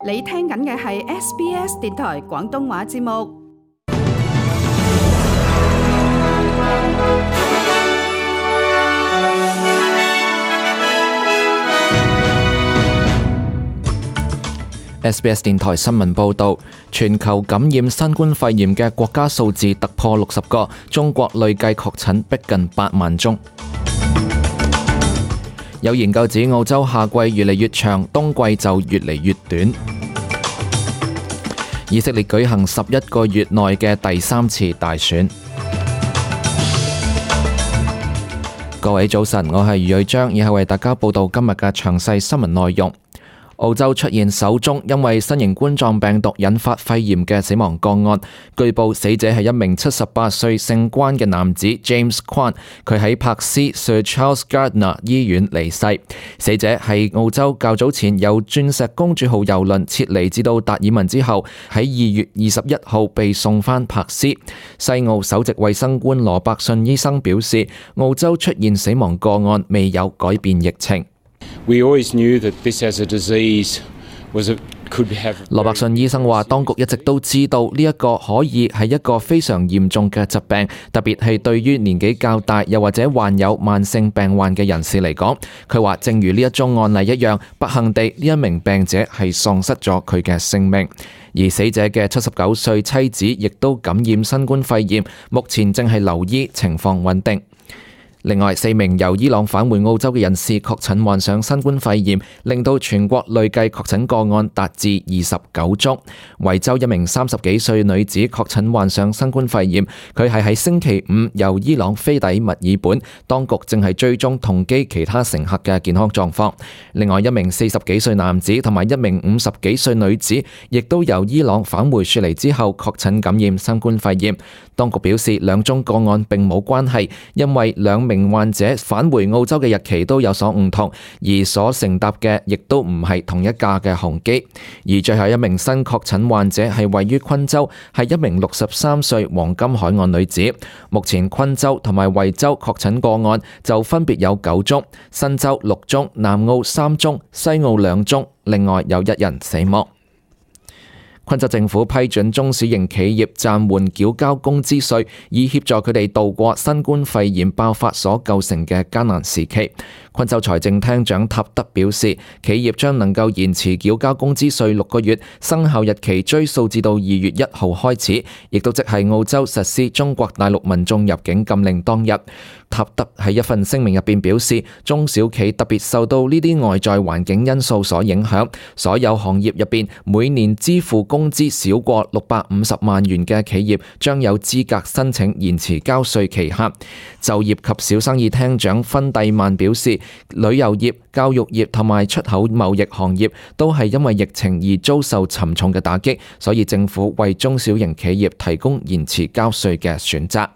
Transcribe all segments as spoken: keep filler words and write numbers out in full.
你聽緊嘅係 S B S 電台廣東話節目。S B S 電台新聞報導，全球感染新冠肺炎嘅國家數字突破六十個，中國累計確診逼近八萬宗。有研究指澳洲夏季越嚟越長，冬季就越嚟越短。以色列舉行十一個月內嘅第三次大選。各位早晨，我係余瑞章，以下為大家報道今日嘅詳細新聞內容。澳洲出現首宗因為新型冠狀病毒引發肺炎嘅死亡個案，據報死者係一名七十八歲姓關嘅男子 James Kwan， 佢喺柏斯 Sir Charles Gardner 醫院離世。死者係澳洲較早前由鑽石公主號郵輪撤離至到達爾文之後，喺二月二十一號被送返柏斯。西澳首席衛生官羅伯遜醫生表示，澳洲出現死亡個案未有改變疫情。We always knew that this as a disease was a could have。羅伯遜醫生話，當局一直都知道呢一個可以係一個非常嚴重嘅疾病，特別係對於年紀較大又或者患有慢性病患嘅人士嚟講。佢話，正如呢一宗案例一樣，不幸地呢一名病者係喪失咗佢嘅性命，而死者嘅七十九歲妻子亦都感染新冠肺炎，目前正係留醫，情況穩定。另外，四名由伊朗返回澳洲嘅人士確診患上新冠肺炎，令到全國累計確診個案達至二十九宗。維州一名三十幾歲女子確診患上新冠肺炎，佢係喺星期五由伊朗飛抵墨爾本，當局正係追蹤同機其他乘客嘅健康狀況。另外一名四十幾歲男子同埋一名五十幾歲女子，亦都由伊朗返回雪梨之後確診感染新冠肺炎。當局表示，兩宗個案並冇關係，因為兩名患者返回澳洲嘅日期都有所唔同，而所乘搭嘅亦都唔係同一架嘅航機。而最後一名新確診患者係位於昆州，係一名六十三歲黃金海岸女子。目前昆州同埋惠州確診個案就分別有九宗，新州六宗，南澳三宗，西澳兩宗，另外有一人死亡。昆州政府批准中小型企業暫緩繳交工資稅，以協助佢哋度過新冠肺炎爆發所構成嘅艱難時期。昆州財政廳長塔德表示，企業將能夠延遲繳交工資稅六個月，生效日期追溯至到二月一號開始，亦都即係澳洲實施中國大陸民眾入境禁令當日。塔德喺一份聲明入邊表示，中小企特別受到呢啲外在環境因素所影響，所有行業入邊每年支付工資少過六百五十萬元嘅企業將有資格申請延遲交稅期限。就業及小生意廳長芬蒂曼表示，旅遊業、教育業同埋出口貿易行業都係因為疫情而遭受沉重嘅打擊，所以政府為中小型企業提供延遲交稅嘅選擇。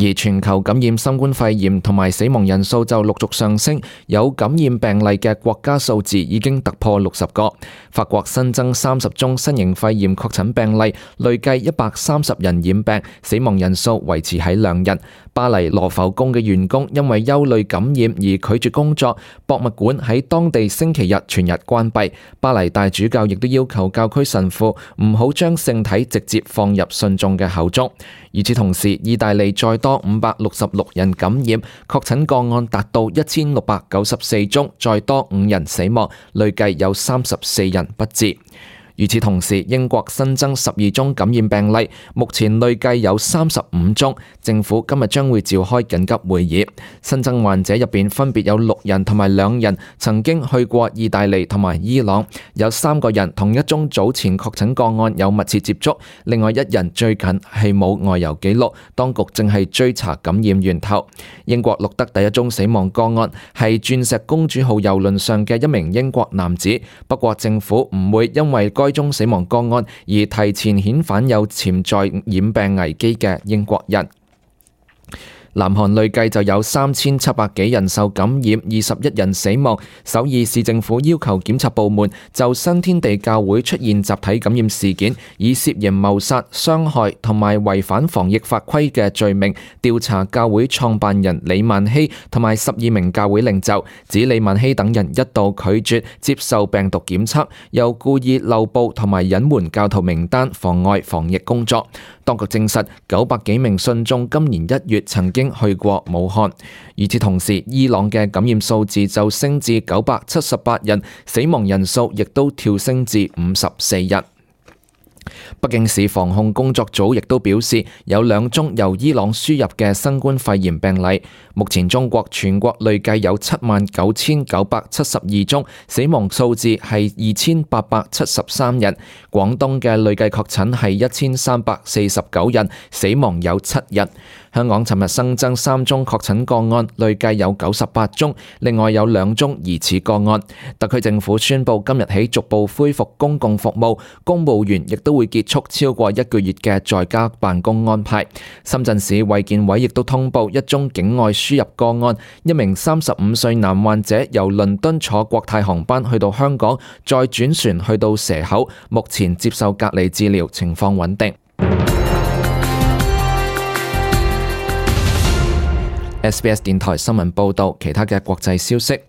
而全球感染新冠肺炎同埋死亡人數就陸續上升，有感染病例嘅國家數字已經突破六十個。法國新增三十宗新型肺炎確診病例，累計一百三十人染病，死亡人數維持喺兩人。巴黎羅浮宮嘅員工因為憂慮感染而拒絕工作，博物館喺當地星期日全日關閉。巴黎大主教亦都要求教區神父唔好將聖體直接放入信眾嘅口中。與此同時，意大利再多五百六十六人感染，確診個案達到一千六百九十四宗，再多五人死亡，累計有三十四人不治。與此同時，英國新增十二宗感染病例，目前累計有三十五宗。政府今日將會召開緊急會議。新增患者入邊分別有六人同埋兩人曾經去過意大利同埋伊朗，有三個人同一宗早前確診個案有密切接觸，另外一人最近係冇外遊記錄，當局正係追查感染源頭。英國錄得第一宗死亡個案係鑽石公主號郵輪上嘅一名英國男子，不過政府唔會因為該宗死亡個案而提前遣返有潛在染病危機嘅英國人。南韓累計就有三千七百幾人受感染，二十一人死亡。首爾市政府要求檢察部門就新天地教會出現集體感染事件，以涉嫌謀殺、傷害同埋違反防疫法規嘅罪名調查教會創辦人李萬熙同埋十二名教會領袖，指李萬熙等人一度拒絕接受病毒檢測，又故意漏報同埋隱瞞教徒名單，妨礙防疫工作。當局證實九百幾名信眾今年一月曾經去過武漢。與此同時，伊朗嘅感染數字就升至九百七十八人，死亡人數亦都跳升至五十四人。北京市防控工作組亦都表示，有兩宗由伊朗輸入嘅新冠肺炎病例。目前中國全國累計有七萬九千九百七十二宗，死亡數字係二千八百七十三人。廣東嘅累計確診係一千三百四十九人，死亡有七人。香港尋日新增三宗確診個案，累計有九十八宗，另外有兩宗疑似個案。特區政府宣布今日起逐步恢復公共服務，公務員亦都會結束超過一個月嘅在家辦公安排。深圳市衛健委亦都通報一宗境外輸入個案，一名三十五歲男患者由倫敦坐國泰航班去到香港，再轉船去到蛇口，目前接受隔離治療，情況穩定。S B S 電台新聞報導，其他嘅國際消息。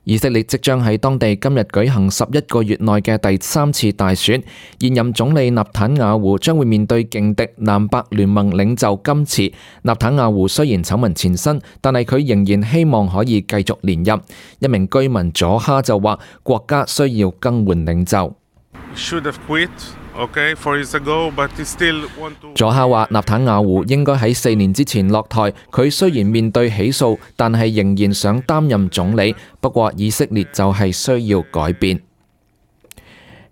以色列即將喺當地今日舉行十一個月內嘅第三次大選，現任總理納坦雅胡將會面對勁敵南白聯盟領袖甘茨。納坦雅胡雖然醜聞纏身，但係佢仍然希望可以繼續連任。一名居民佐哈就話，國家需要更換領袖。佐哈話，納坦雅胡應該喺四年之前落台。佢雖然面對起訴，但係仍然想擔任總理。不過以色列就係需要改變。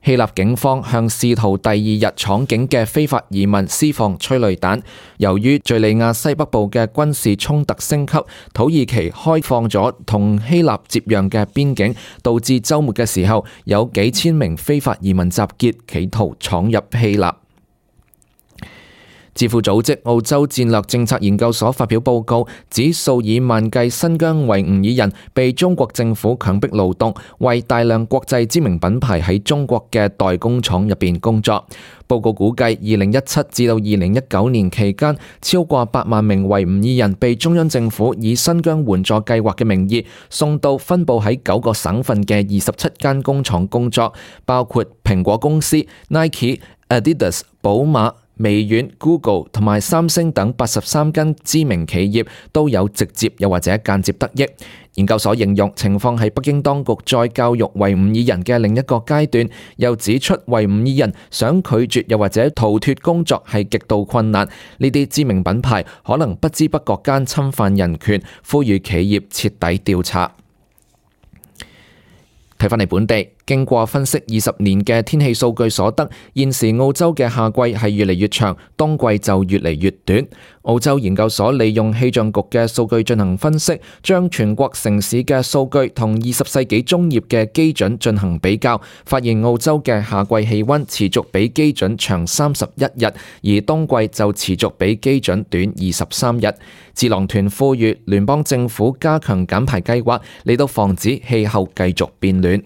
希臘警方向試圖第二日闖境嘅非法移民施放催淚彈。由於敘利亞西北部嘅軍事衝突升級，土耳其開放咗同希臘接壤嘅邊境，導致週末嘅時候有幾千名非法移民集結，企圖闖入希臘。智庫組織澳洲戰略政策研究所發表報告，指數以萬計新疆維吾爾人被中國政府強迫勞動，為大量國際知名品牌喺中國嘅代工廠入邊工作。報告估計，二零一七至到二零一九年期間，超過八萬名維吾爾人被中央政府以新疆援助計劃嘅名義送到分佈喺九個省份嘅二十七間工廠工作，包括蘋果公司、Nike、Adidas、寶馬、微軟、Google 同埋三星等八十三間知名企業都有直接又或者間接得益。研究所形容情況係北京當局再教育維吾爾人嘅另一個階段，又指出維吾爾人想拒絕又或者逃脫工作係極度困難。呢啲知名品牌可能不知不覺間侵犯人權，呼籲企業徹底調查。睇返嚟本地，經過分析二十年嘅天氣數據所得，現時澳洲嘅夏季係越嚟越長，冬季就越嚟越短。澳洲研究所利用氣象局嘅數據進行分析，將全國城市嘅數據同二十世紀中葉嘅基準進行比較，發現澳洲嘅夏季氣溫持續比基準長三十一日，而冬季就持續比基準短二十三日。智囊團呼籲聯邦政府加強減排計劃，嚟到防止氣候繼續變暖。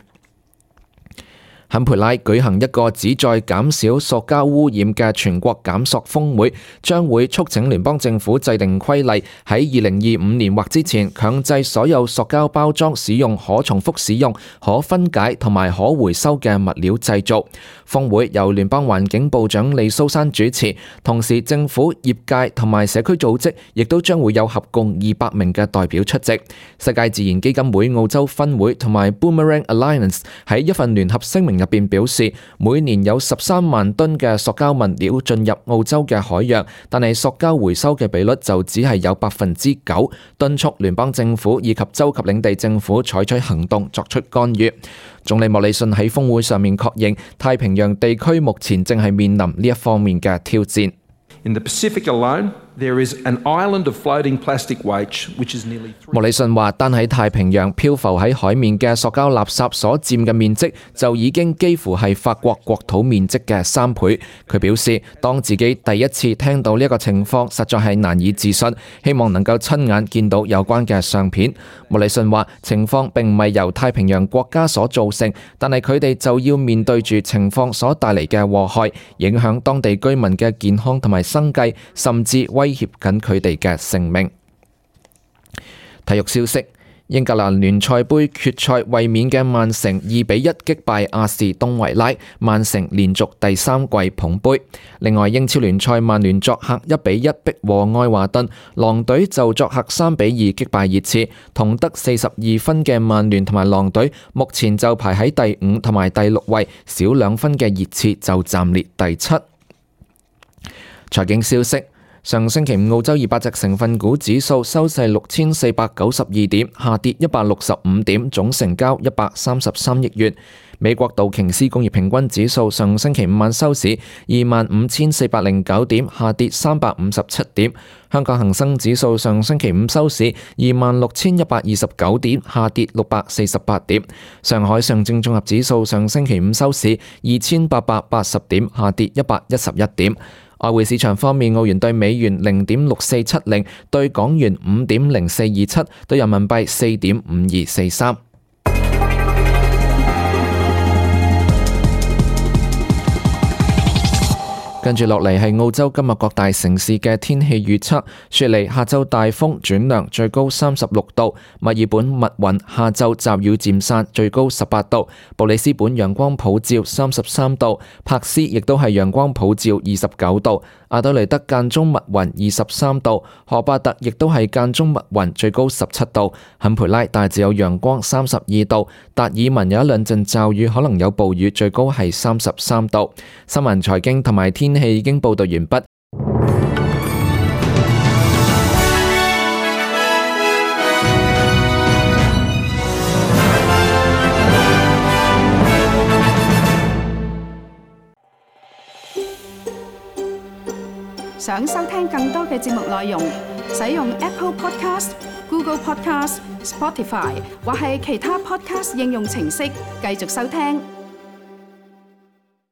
坎培拉舉行一個旨在減少塑膠污染嘅全國減塑峰會，將會促請聯邦政府制定規例，喺二零二五年或之前強制所有塑膠包裝使用可重複使用、可分解同埋可回收嘅物料製造。峰會由聯邦環境部長李蘇珊主持，同時政府、業界同埋社區組織亦都將會有合共二百名嘅代表出席。世界自然基金會澳洲分會同埋 Boomerang Alliance 喺一份聯合聲明入邊表示，每年有十三萬噸嘅塑膠物料進入澳洲嘅海洋，但係塑膠回收嘅比率就只係有百分之九，敦促聯邦政府以及州及領地政府採取行動作出干預。總理莫里遜喺峰會上面確認，太平洋地區目前正係面臨呢一方面嘅挑戰。In the Pacific alone, There is an island of floating plastic waste, which is nearly three... 莫里遜話，單喺太平洋漂浮喺海面嘅塑膠垃圾所佔嘅面積，就已經幾乎係法國國土面積嘅三倍。佢表示，當自己第一次聽到呢一個情況，實在係難以置信，希望能夠親眼見到有關嘅相片。莫里遜話，情況並唔係由太平洋國家所造成，但係佢哋就要面對住情況所帶嚟嘅禍害，影響當地居民嘅健康同埋生計，甚至威脅緊佢哋嘅性命。體育消息：英格蘭聯賽杯決賽衛冕嘅曼城二比一擊敗亞士東維拉，曼城連續第三季捧杯。另外，英超聯賽曼聯作客一比一逼和愛華頓，狼隊就作客三比二擊敗熱刺，同得四十二分嘅曼聯同埋狼隊目前就排喺第五同埋第六位，少兩分嘅熱刺就暫列第七。財經消息：上星期五澳洲二百隻成分股指數收市六千四百九十二點，下跌一百六十五點，總成交一百三十三億元。美國道瓊斯工業平均指數上星期五晚收市二萬五千四百零九點，下跌三百五十七點。香港恒生指數上星期五收市二萬六千一百二十九點，下跌六百四十八點。上海上證綜合指數上星期五收市二千八百八十點，下跌一百一十一點。外匯市場方面，澳元對美元零點六四七零，對港元五點零四二七，對人民幣四點五二四三。跟住落嚟係澳洲今日各大城市嘅天氣預測。雪梨下晝大風轉涼，最高三十六度；墨爾本密雲，下晝驟雨漸散，最高十八度；布里斯本陽光普照，三十三度；柏斯亦都係陽光普照，二十九度；阿德雷德間中密雲，二十三度；荷巴特亦都係間中密雲，最高十七度；坎培拉大致有陽光，三十二度；達爾文有一兩陣驟雨，可能有暴雨，最高係三十三度。新聞財經同埋天氣已經報道完畢。想收聽更多嘅節目內容，使用 Apple Podcast、Google Podcast、Spotify 或係其他 Podcast 應用程式繼續收聽。